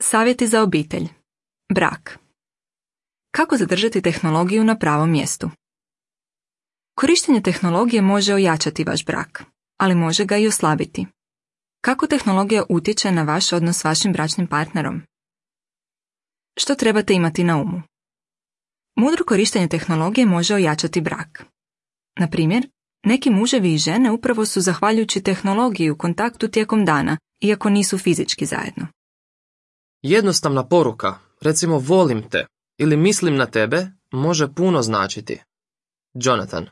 Savjeti za obitelj. Brak. Kako zadržati tehnologiju na pravom mjestu? Korištenje tehnologije može ojačati vaš brak, ali može ga i oslabiti. Kako tehnologija utječe na vaš odnos s vašim bračnim partnerom? Što trebate imati na umu? Mudro korištenje tehnologije može ojačati brak. Na primjer, neki muževi i žene upravo su zahvaljujući tehnologiji u kontaktu tijekom dana, iako nisu fizički zajedno. Jednostavna poruka, recimo volim te ili mislim na tebe, može puno značiti. Jonathan.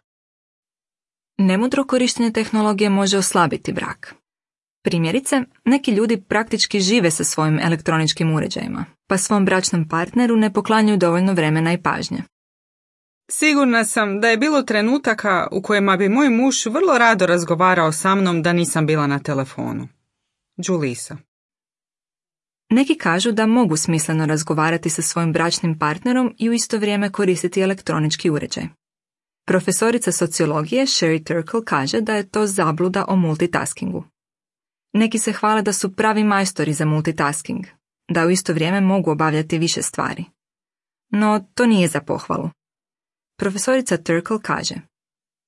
Nemudro korištenje tehnologije može oslabiti brak. Primjerice, neki ljudi praktički žive sa svojim elektroničkim uređajima, pa svom bračnom partneru ne poklanjaju dovoljno vremena i pažnje. Sigurna sam da je bilo trenutaka u kojima bi moj muž vrlo rado razgovarao sa mnom da nisam bila na telefonu. Julisa. Neki kažu da mogu smisleno razgovarati sa svojim bračnim partnerom i u isto vrijeme koristiti elektronički uređaj. Profesorica sociologije Sherry Turkle kaže da je to zabluda o multitaskingu. Neki se hvale da su pravi majstori za multitasking, da u isto vrijeme mogu obavljati više stvari. No, to nije za pohvalu. Profesorica Turkle kaže,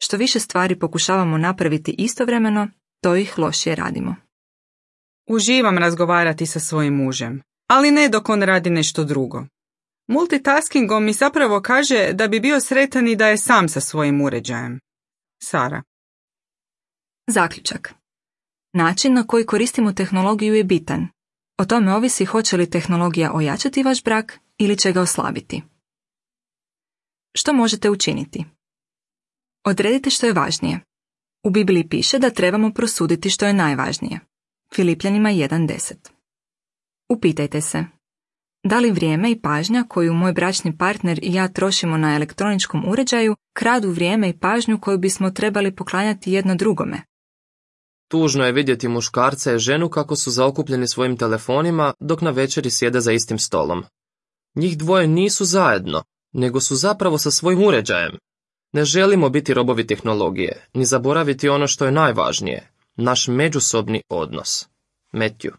što više stvari pokušavamo napraviti istovremeno, to ih lošije radimo. Uživam razgovarati sa svojim mužem, ali ne dok on radi nešto drugo. Multitaskingom mi zapravo kaže da bi bio sretan i da je sam sa svojim uređajem. Sara. Zaključak. Način na koji koristimo tehnologiju je bitan. O tome ovisi hoće li tehnologija ojačati vaš brak ili će ga oslabiti. Što možete učiniti? Odredite što je važnije. U Bibliji piše da trebamo prosuditi što je najvažnije. Filipljanima 1.10. Upitajte se, da li vrijeme i pažnja koju moj bračni partner i ja trošimo na elektroničkom uređaju kradu vrijeme i pažnju koju bismo trebali poklanjati jedno drugome? Tužno je vidjeti muškarca i ženu kako su zaokupljeni svojim telefonima dok na večeri sjede za istim stolom. Njih dvoje nisu zajedno, nego su zapravo sa svojim uređajem. Ne želimo biti robovi tehnologije, ni zaboraviti ono što je najvažnije, naš međusobni odnos. Matthew.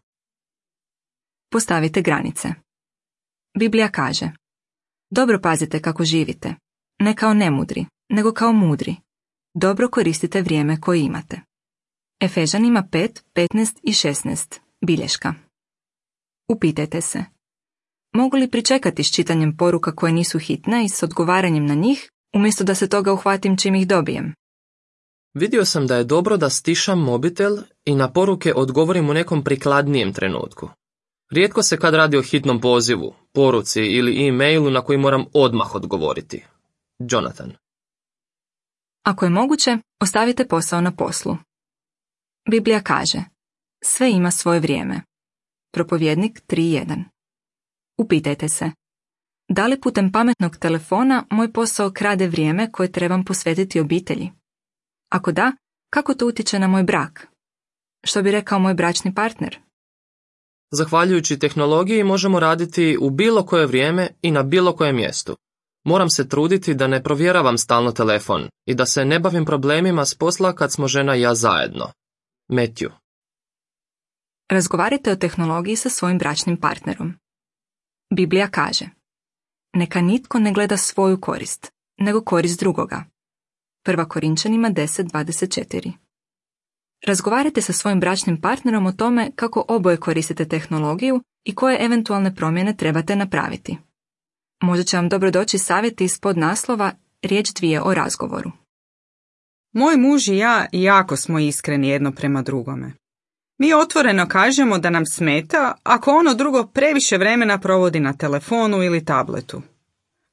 Postavite granice. Biblija kaže, dobro pazite kako živite, ne kao nemudri, nego kao mudri. Dobro koristite vrijeme koje imate. Efežanima 5, 15 i 16. Bilješka. Upitajte se, mogu li pričekati s čitanjem poruka koje nisu hitne i s odgovaranjem na njih, umjesto da se toga uhvatim čim ih dobijem? Vidio sam da je dobro da stišam mobitel i na poruke odgovorim u nekom prikladnijem trenutku. Rijetko se kad radi o hitnom pozivu, poruci ili e-mailu na koji moram odmah odgovoriti. Jonathan. Ako je moguće, ostavite posao na poslu. Biblija kaže, sve ima svoje vrijeme. Propovjednik 3.1. Upitajte se, da li putem pametnog telefona moj posao krade vrijeme koje trebam posvetiti obitelji? Ako da, kako to utječe na moj brak? Što bi rekao moj bračni partner? Zahvaljujući tehnologiji možemo raditi u bilo koje vrijeme i na bilo kojem mjestu. Moram se truditi da ne provjeravam stalno telefon i da se ne bavim problemima s posla kad smo žena i ja zajedno. Matthew. Razgovarajte o tehnologiji sa svojim bračnim partnerom. Biblija kaže, neka nitko ne gleda svoju korist, nego korist drugoga. 1. Korinčanima 10.24. Razgovarajte sa svojim bračnim partnerom o tome kako oboje koristite tehnologiju i koje eventualne promjene trebate napraviti. Možda će vam dobro doći savjeti ispod naslova riječ dvije o razgovoru. Moj muž i ja jako smo iskreni jedno prema drugome. Mi otvoreno kažemo da nam smeta ako ono drugo previše vremena provodi na telefonu ili tabletu.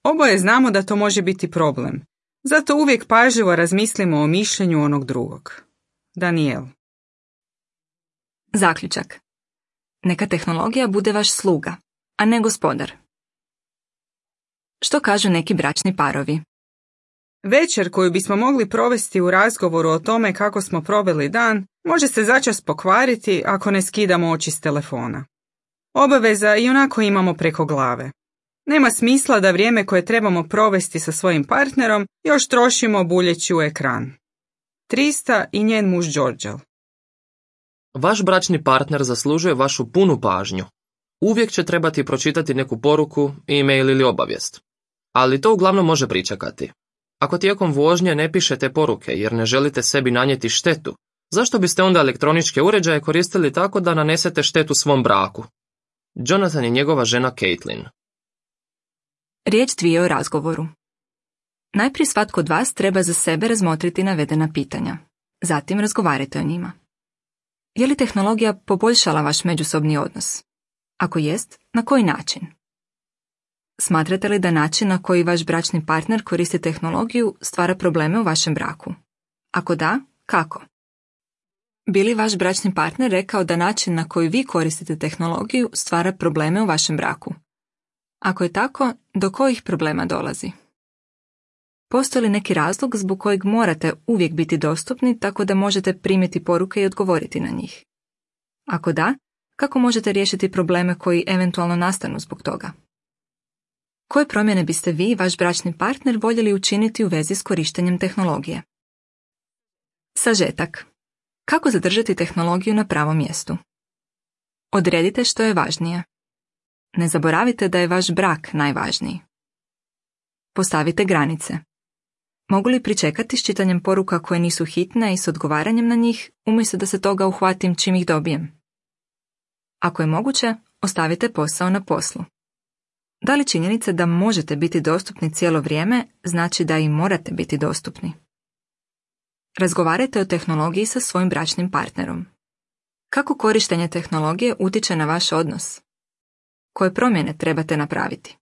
Oboje znamo da to može biti problem, zato uvijek pažljivo razmislimo o mišljenju onog drugog. Daniel. Zaključak. Neka tehnologija bude vaš sluga, a ne gospodar. Što kažu neki bračni parovi? Večer koju bismo mogli provesti u razgovoru o tome kako smo proveli dan, može se začas pokvariti ako ne skidamo oči s telefona. Obaveza ionako imamo preko glave. Nema smisla da vrijeme koje trebamo provesti sa svojim partnerom još trošimo buljeći u ekran. Trista i njen muž Đorđel. Vaš bračni partner zaslužuje vašu punu pažnju. Uvijek će trebati pročitati neku poruku, e-mail ili obavijest. Ali to uglavnom može pričekati. Ako tijekom vožnje ne pišete poruke jer ne želite sebi nanijeti štetu, zašto biste onda elektroničke uređaje koristili tako da nanesete štetu svom braku? Jonathan i njegova žena Caitlin. Riječ 2 o razgovoru. Najprije svatko od vas treba za sebe razmotriti navedena pitanja. Zatim razgovarajte o njima. Je li tehnologija poboljšala vaš međusobni odnos? Ako jest, na koji način? Smatrate li da način na koji vaš bračni partner koristi tehnologiju stvara probleme u vašem braku? Ako da, kako? Bi li vaš bračni partner rekao da način na koji vi koristite tehnologiju stvara probleme u vašem braku? Ako je tako, do kojih problema dolazi? Postoji li neki razlog zbog kojeg morate uvijek biti dostupni tako da možete primiti poruke i odgovoriti na njih? Ako da, kako možete riješiti probleme koji eventualno nastanu zbog toga? Koje promjene biste vi i vaš bračni partner voljeli učiniti u vezi s korištenjem tehnologije? Sažetak. Kako zadržati tehnologiju na pravom mjestu? Odredite što je važnije. Ne zaboravite da je vaš brak najvažniji. Postavite granice. Mogu li pričekati s čitanjem poruka koje nisu hitne i s odgovaranjem na njih, umjesto da se toga uhvatim čim ih dobijem? Ako je moguće, ostavite posao na poslu. Da li činjenica da možete biti dostupni cijelo vrijeme znači da i morate biti dostupni? Razgovarajte o tehnologiji sa svojim bračnim partnerom. Kako korištenje tehnologije utječe na vaš odnos? Koje promjene trebate napraviti?